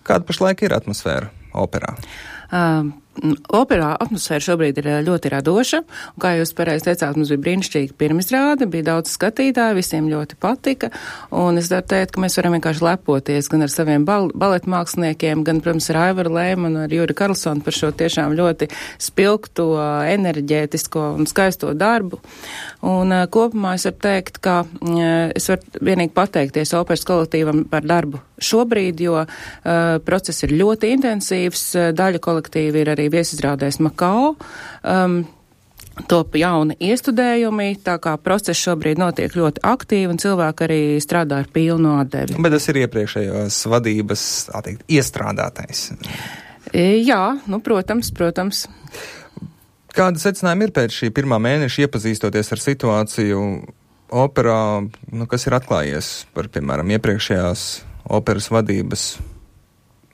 Kāda pašlaik ir atmosfēra operā? Operā atmosfēra šobrīd ir ļoti radoša, un, kā jūs pareizi teicāt, mums bija brīnišķīga pirmizrāde, bija daudz skatītāju, visiem ļoti patika, un es varu teikt, ka mēs varam vienkārši lepoties gan ar saviem baletmāksliniekiem, gan, protams, ar Aivaru Lēmanu, ar Juri Karlsonu par šo tiešām ļoti spilgto, enerģētisko un skaisto darbu. Un kopumā es varu teikt, ka es varu vienīgi pateikties operas kolektīvam par darbu šobrīd, jo process ir ļoti intensīvs, daļa kolektīva ir arī viesizrādēs Makao, top jauni iestudējumi, tā kā process šobrīd notiek ļoti aktīvi un cilvēki arī strādā ar pilnu atdevi. Bet tas ir iepriekšējās vadības, tā teikt, iestrādātais. Jā, protams. Kāda secinājuma ir pēc šī pirmā mēneša iepazīstoties ar situāciju operā, kas ir atklājies par, piemēram, iepriekšējās operas vadības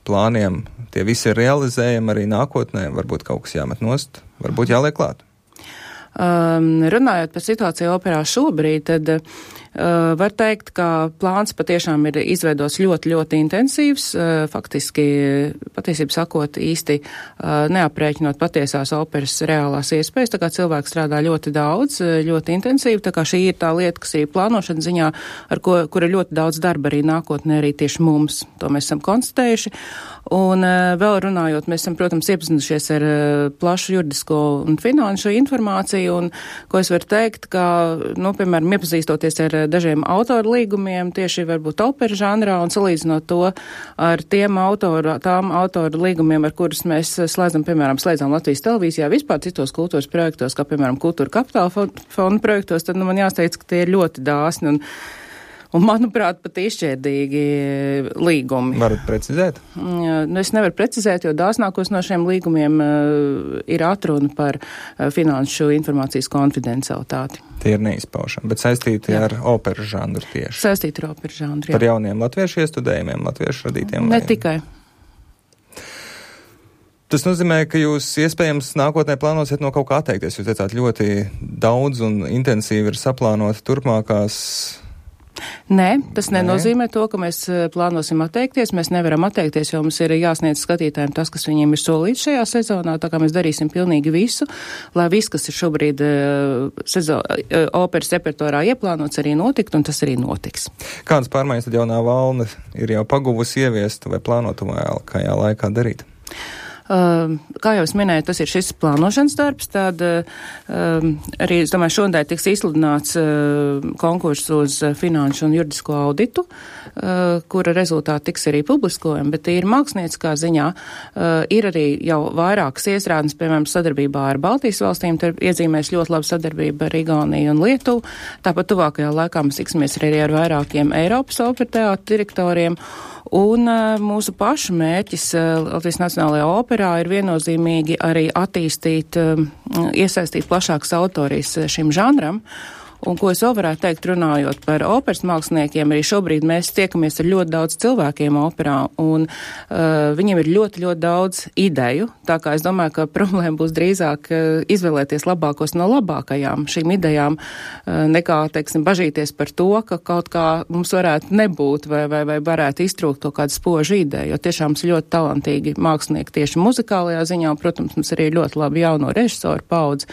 plāniem? Tie visi ir realizējami arī nākotnē, varbūt kaut kas jāmet nost, varbūt jāliek klāt. Runājot par situāciju operā šobrīd, tad var teikt, ka plāns patiešām ir izveidots ļoti, ļoti intensīvs, faktiski, patiesībā sakot, īsti neaprēķinot patiesās operas reālās iespējas, tā kā cilvēki strādā ļoti daudz, ļoti intensīvi, tā kā šī ir tā lieta, kas ir plānošana ziņā, kura ļoti daudz darba arī nākotnē arī tieši mums, to mēs esam konstatējuši. Un vēl runājot, mēs esam, protams, iepazinušies ar plašu juridisko un finanšu informāciju, un ko es varu teikt, ka, piemēram, iepazīstoties ar dažiem autoru līgumiem, tieši varbūt opera žanrā, un salīdzinot to ar tām autoru līgumiem, ar kurus mēs slēdzam Latvijas televīzijā, vispār citos kultūras projektos, kā, piemēram, Kultūra Kapitāla fonda projektos, tad, man jāsteidz, ka tie ir ļoti dāsni un manuprāt, pat izšķērdīgi līgumi. Varat precizēt? Es nevaru precizēt, jo dāsnākos no šiem līgumiem ir atruna par finanšu informācijas konfidencialitāti. Tie ir neizpaušami, bet saistīti ar operas žanru tieši. Saistīti ar operas žanru, jā. Par jauniem latviešu iestudējumiem, latviešu radītiem? Ne tikai. Tas nozīmē, ka jūs iespējams nākotnē plānosiet no kaut kā atteikties. Jūs teicāt, ļoti daudz un intensīvi ir saplānota turpmākās. Nē, tas nenozīmē to, ka mēs plānosim atteikties. Mēs nevaram atteikties, jo mums ir jāsniedz skatītājiem tas, kas viņiem ir solīts šajā sezonā, tā kā mēs darīsim pilnīgi visu, lai viss, kas ir šobrīd operas repertuārā ieplānots, arī notikt, un tas arī notiks. Kādas pārmaiņas tad jaunā valde ir jau paguvusi ieviest vai plānot tuvākajā laikā darīt? Kā jau es minēju, tas ir šis plānošanas darbs, tad arī, es domāju, šodien tiks izsludināts konkurss uz finanšu un juridisko auditu, kura rezultāti tiks arī publiskojami, bet ir mākslinieckā ziņā, ir arī jau vairākas iestrādes, piemēram, sadarbībā ar Baltijas valstīm, tad iezīmēs ļoti labu sadarbību ar Igauniju un Lietuvu, tāpat tuvākajā laikā mēs tiksimies arī ar vairākiem Eiropas opera teātra direktoriem. Un mūsu pašu mērķis Latvijas Nacionālajā operā ir viennozīmīgi arī attīstīt, iesaistīt plašākas autorijas šim žanram. Un ko es vēl varētu teikt, runājot par operas māksliniekiem, arī šobrīd mēs tiekamies ar ļoti daudz cilvēkiem operā, un viņiem ir ļoti, ļoti daudz ideju, tā kā es domāju, ka problēma būs drīzāk izvēlēties labākos no labākajām šīm idejām, nekā, teiksim, bažīties par to, ka kaut kā mums varētu nebūt vai varētu iztrūkt to kādu spožu ideju, jo tiešām mums ļoti talantīgi mākslinieki tieši muzikālajā ziņā, un, protams, mums arī ļoti labi jauno režisoru paudze,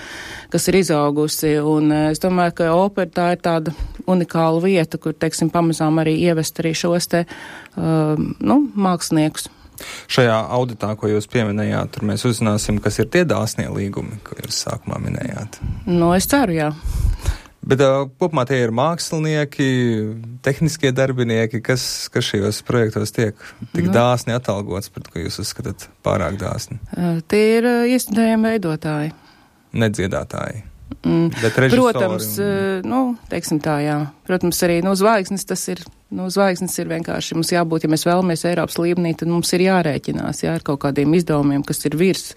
kas ir izaugusi, un es domāju, ka opera tā ir tāda unikāla vieta, kur, teiksim, pamazām arī ievest arī šos te, māksliniekus. Šajā auditā, ko jūs pieminējāt, tur mēs uzzināsim, kas ir tie dāsnie līgumi, ko jūs sākumā minējāt. Es ceru, jā. Bet kopumā tie ir mākslinieki, tehniskie darbinieki, kas šajos projektos tiek tik dāsni atalgots, pret ko jūs uzskatāt pārāk dāsni? Tie ir iestudējumi veidotāji. Nedziedātāji. Protams, teiksim tā, jā. Protams, arī, zvaigznes tas ir, zvaigznes ir vienkārši, mums jābūt, ja mēs vēlamies Eiropas līmenī, tad mums ir jārēķinās, ar kaut kādiem izdevumiem, kas ir virs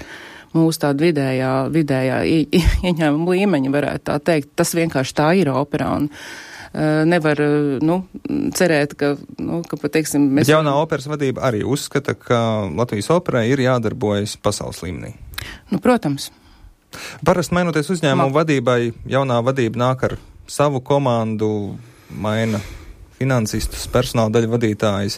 mūsu tāda vidējā ieņēmuma līmeņa, varētu tā teikt. Tas vienkārši tā ir operā, un nevar, cerēt, ka teiksim, mēs... Bet jaunā operas vadība arī uzskata, ka Latvijas operai ir jādarbojas pasaules līmenī. Protams. Parasti mainoties uzņēmumu vadībai, jaunā vadība nāk ar savu komandu, maina finansistus, personāla daļu vadītājus,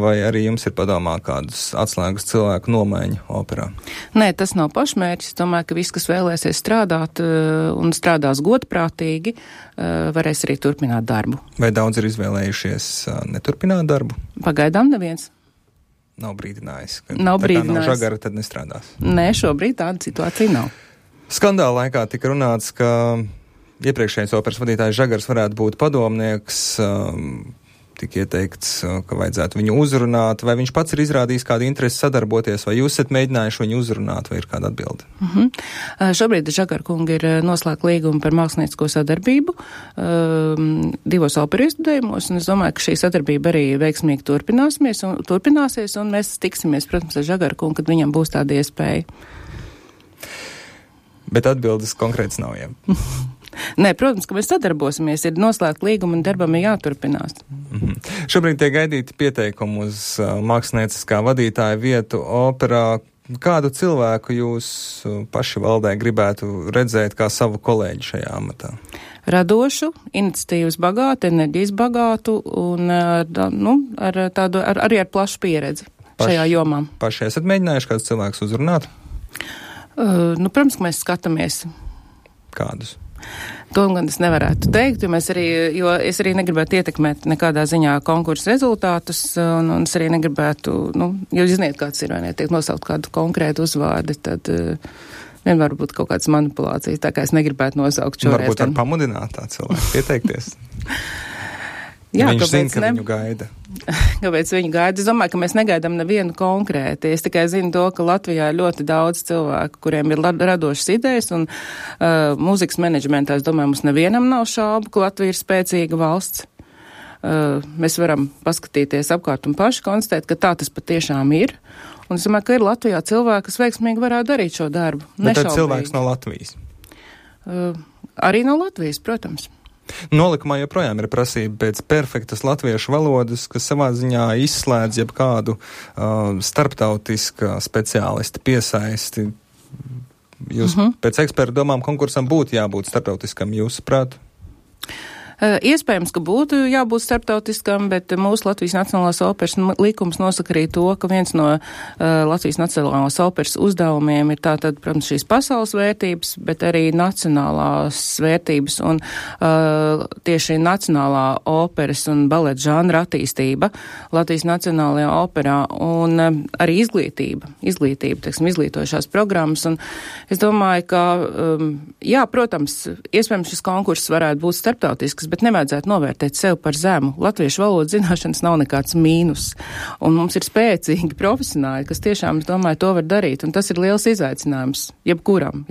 vai arī jums ir padomā kādus atslēgas cilvēku nomaiņu operā? Nē, tas nav pašmērķis. Domāju, ka viss, kas vēlēsies strādāt un strādās godprātīgi, varēs arī turpināt darbu. Vai daudz ir izvēlējušies neturpināt darbu? Pagaidām neviens. Nav brīdinājis. Nav brīdinājis. Nav žagara, tad nestrādās. Nē, šobrīd tāda situācija nav. Skandāla laikā tika runāts, ka iepriekšējais operas vadītājs Žagars varētu būt padomnieks, tika ieteikts, ka vajadzētu viņu uzrunāt, vai viņš pats ir izrādījis kādu interesi sadarboties, vai jūs esat mēģinājuši viņu uzrunāt, vai ir kāda atbilde? Šobrīd Žagara kunga ir noslēgta līguma par māksliniecisko sadarbību 2 operu iestudējumos, un es domāju, ka šī sadarbība arī veiksmīgi turpināsies, un mēs tiksimies, protams, ar Žagara kungu, kad viņam būs tāda iespēja. Bet atbildes konkrēts nav, jā. Nē, protams, ka mēs sadarbosimies, ir noslēgta līguma un darbam ir jāturpinās. Šobrīd tiek gaidīti pieteikumi uz mākslinieciskā vadītāja vietu operā. Kādu cilvēku jūs paši valdē gribētu redzēt kā savu kolēģi šajā amatā? Radošu, iniciatīvas bagātu, enerģijas bagātu un arī ar plašu pieredzi šajā jomā. Paši esat mēģinājuši kādus cilvēkus uzrunāt? Protams, ka mēs skatāmies. Kādus? To gan es nevarētu teikt, jo es arī negribētu ietekmēt nekādā ziņā konkursu rezultātus, un es arī negribētu, jūs zināt, kāds ir, vai ne, tiek nosaukt kādu konkrētu uzvārdi, tad vienmēr būt kaut kādas manipulācijas, tā kā es negribētu nosaukt šoreiz. Varbūt var pamudināt tā cilvēku pieteikties. Jā, viņš zina, ka viņu gaida. Kāpēc viņu gaida? Es domāju, ka mēs negaidām nevienu konkrēti. Es tikai zinu to, ka Latvijā ir ļoti daudz cilvēku, kuriem ir radošas idejas, un mūzikas menedžmentā, es domāju, mums nevienam nav šaubu, ka Latvija ir spēcīga valsts. Mēs varam paskatīties apkārt un paši konstatēt, ka tā tas patiešām ir. Un es domāju, ka ir Latvijā cilvēki, kas veiksmīgi varētu darīt šo darbu. Bet tad cilvēks no Latvijas? Arī no Latvijas, protams. Nolikumā joprojām ir prasība pēc perfektas latviešu valodas, kas savā ziņā izslēdz jebkādu starptautiska speciālista piesaisti. Jūs pēc ekspertu domām konkursam būtu jābūt starptautiskam, jūsuprāt? Iespējams, ka būtu jābūt starptautiskam, bet mūsu Latvijas Nacionālās operas likums nosaka arī to, ka viens no Latvijas Nacionālās operas uzdevumiem ir tātad, protams, šīs pasaules vērtības, bet arī nacionālās vērtības un tieši nacionālā operas un baleta žanra attīstība Latvijas Nacionālajā operā un arī izglītība, teiksim, izglītojušās programmas. Un es domāju, ka, jā, protams, iespējams šis konkurss varētu būt starptautisks, bet nevajadzētu novērtēt sev par zemu. Latviešu valodas zināšanas nav nekāds mīnus. Un mums ir spēcīgi profesionāļi, kas tiešām, es domāju, to var darīt. Un tas ir liels izaicinājums jebkuram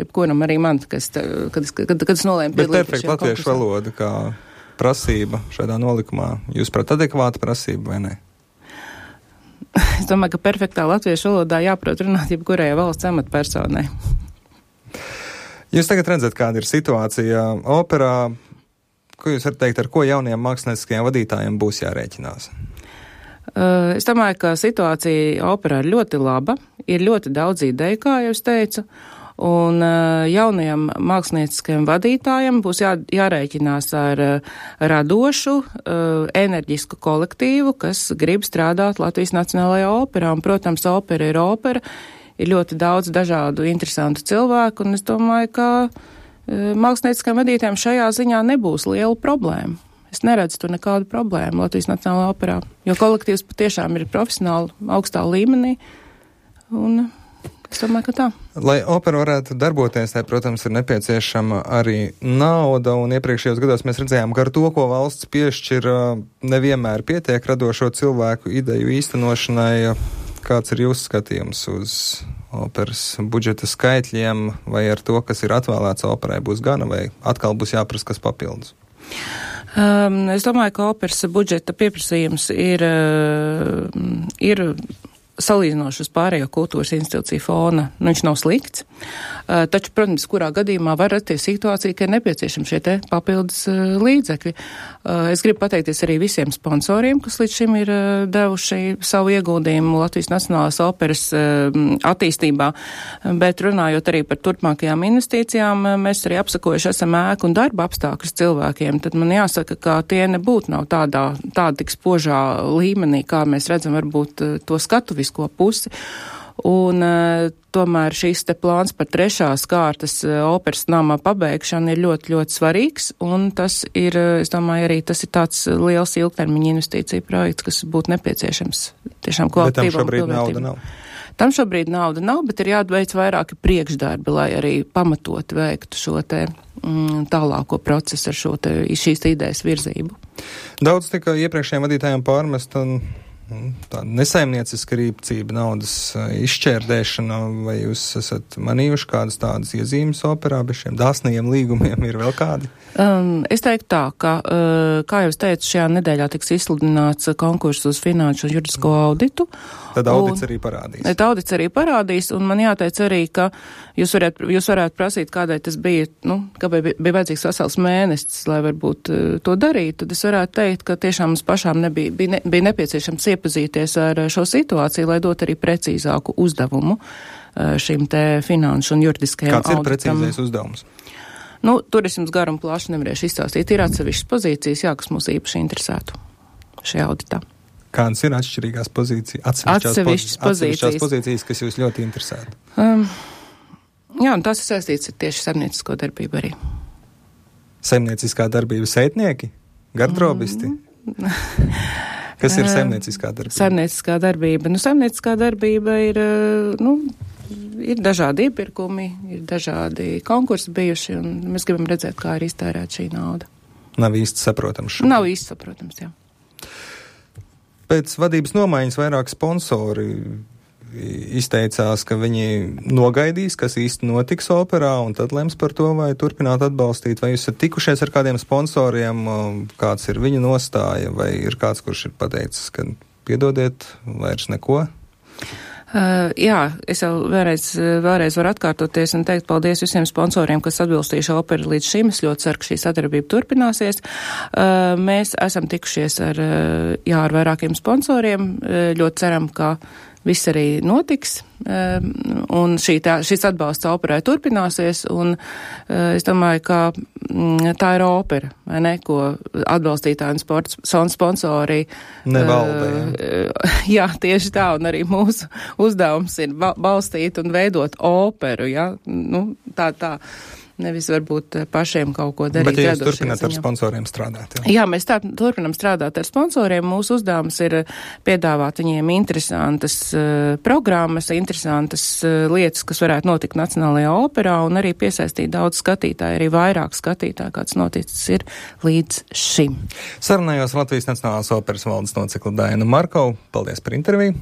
arī man, kad es nolēmu piedalīties. Bet perfekta latviešu valoda kā prasība šādā nolikumā, jūs prāt adekvāta prasība vai ne? Es domāju, ka perfektā latviešu valodā jāprot runāt jebkurai valsts amatpersonai. Jūs tagad redzat, kāda ir situācija operā. Ko jūs varat teikt, ar ko jauniem mākslinieckajiem vadītājiem būs jārēķinās? Es domāju, ka situācija operā ir ļoti laba, ir ļoti daudz ideju, kā jau es teicu, un jaunajiem mākslinieckajiem vadītājiem būs jārēķinās ar radošu, enerģisku kolektīvu, kas grib strādāt Latvijas Nacionālajā operā, un, protams, opera, ir ļoti daudz dažādu interesantu cilvēku, un es domāju, ka mākslinieckajiem vadītājiem šajā ziņā nebūs liela problēma. Es neredzu tur nekādu problēmu Latvijas Nacionālajā operā, jo kolektīvs patiešām ir profesionāli augstā līmenī, un es domāju, ka tā. Lai opera varētu darboties, tai, protams, ir nepieciešama arī nauda, un iepriekšējos gados mēs redzējām, ka ar to, ko valsts piešķir, nevienmēr pietiek radošo cilvēku ideju īstenošanai. Kāds ir jūsu skatījums uz operas budžeta skaitļiem, vai ar to, kas ir atvēlēts operai, būs gana, vai atkal būs jāprasa kas papildus? Es domāju, ka operas budžeta pieprasījums ir salīdzinoši uz pārējo kultūras institūciju fona, viņš nav slikts. Taču, protams, kurā gadījumā var rasties situācija, ka ir nepieciešami šie te papildus līdzekļi. Es gribu pateikties arī visiem sponsoriem, kas līdz šim ir devuši savu ieguldījumu Latvijas Nacionālās operas attīstībā, bet runājot arī par turpmākajām investīcijām, mēs arī apsakojuši esam ēku un darba apstākļus cilvēkiem, tad man jāsaka, ka tie nebūtu nav tāda tik spožā līmenī, kā mēs redzam varbūt to skatuvisko pusi. Un tomēr šīs te plāns par 3. kārtas operas nama pabeigšanu ir ļoti, ļoti svarīgs, un tas ir, es domāju, arī tas ir tāds liels ilgtermiņa investīcija projekts, kas būtu nepieciešams tiešām kvalitīvam. Bet tam šobrīd nauda nav. Tam šobrīd nauda nav, bet ir jāveic vairāki priekšdarbi, lai arī pamatot veiktu šo te tālāko procesu ar šīs idejas virzību. Daudz tika iepriekšējiem vadītājiem pārmest un tāda nesaimnieciska rīcība, naudas izšķērdēšana, vai jūs esat manījuši kādas tādas iezīmes operā, bez šiem dāsnajiem līgumiem ir vēl kādi? Es teiktu tā, ka, kā jau es teicu, šajā nedēļā tiks izsludināts konkurss uz finanšu un juridisko auditu. Tad audits arī parādīs. Tad audits arī parādīs, un man jāteic arī, ka jūs varētu prasīt, kādai tas bija, kāpēc bija vajadzīgs vesels mēnesis, lai varbūt to darītu. Tad es varētu teikt, ka tiešām mums pašām bija nepieciešams iepazīties ar šo situāciju, lai dot arī precīzāku uzdevumu šim te finanšu un juridiskajam auditam. Kāds ir precīzais uzdevums? Turisms garu un plaši nevarēšu izstāstīt. Ir atsevišķas pozīcijas, kas mūs īpaši interesētu šajā auditā. Kādas ir atšķirīgās pozīcijas? Atsevišķas pozīcijas, kas jūs ļoti interesētu? Jā, un tas ir saistīts ar tieši saimniecisko darbību arī. Saimnieciskā darbība saitnieki? Gardrobisti? Kas ir saimnieciskā darbība? Saimnieciskā darbība. Saimnieciskā darbība ir dažādi iepirkumi, ir dažādi konkursi bijuši, un mēs gribam redzēt, kā ir iztērēta šī nauda. Nav īsti saprotams. Nav īsti saprotams, jā. Pēc vadības nomaiņas vairāk sponsori izteicās, ka viņi nogaidīs, kas īsti notiks operā, un tad lems par to, vai turpināt atbalstīt. Vai jūs esat tikušies ar kādiem sponsoriem, kāds ir viņa nostāja, vai ir kāds, kurš ir pateicis, ka piedodiet, vairs neko? Jā, es jau vēlreiz varu atkārtoties un teikt paldies visiem sponsoriem, kas atbilstīja šo operu līdz šim. Es ļoti ceru, ka šī sadarbība turpināsies. Mēs esam tikušies ar vairākiem sponsoriem. Ļoti ceram, ka viss arī notiks, un šis atbalsts operai turpināsies, un es domāju, ka tā ir opera, vai ne, ko atbalstītāji un sponsori nevalda. Jā, tieši tā, un arī mūsu uzdevums ir balstīt un veidot operu, jā, tā. Nevis varbūt pašiem kaut ko darīt. Bet ja jūs turpināt ar sponsoriem strādāt? Jā, mēs turpinam strādāt ar sponsoriem. Mūsu uzdevums ir piedāvāt viņiem interesantas programmas, interesantas lietas, kas varētu notikt Nacionālajā operā, un arī piesaistīt daudz skatītāju, arī vairāk skatītāju, kāds noticis ir līdz šim. Sarunājos Latvijas Nacionālās operas valdes locekli Dainu Markovu. Paldies par interviju.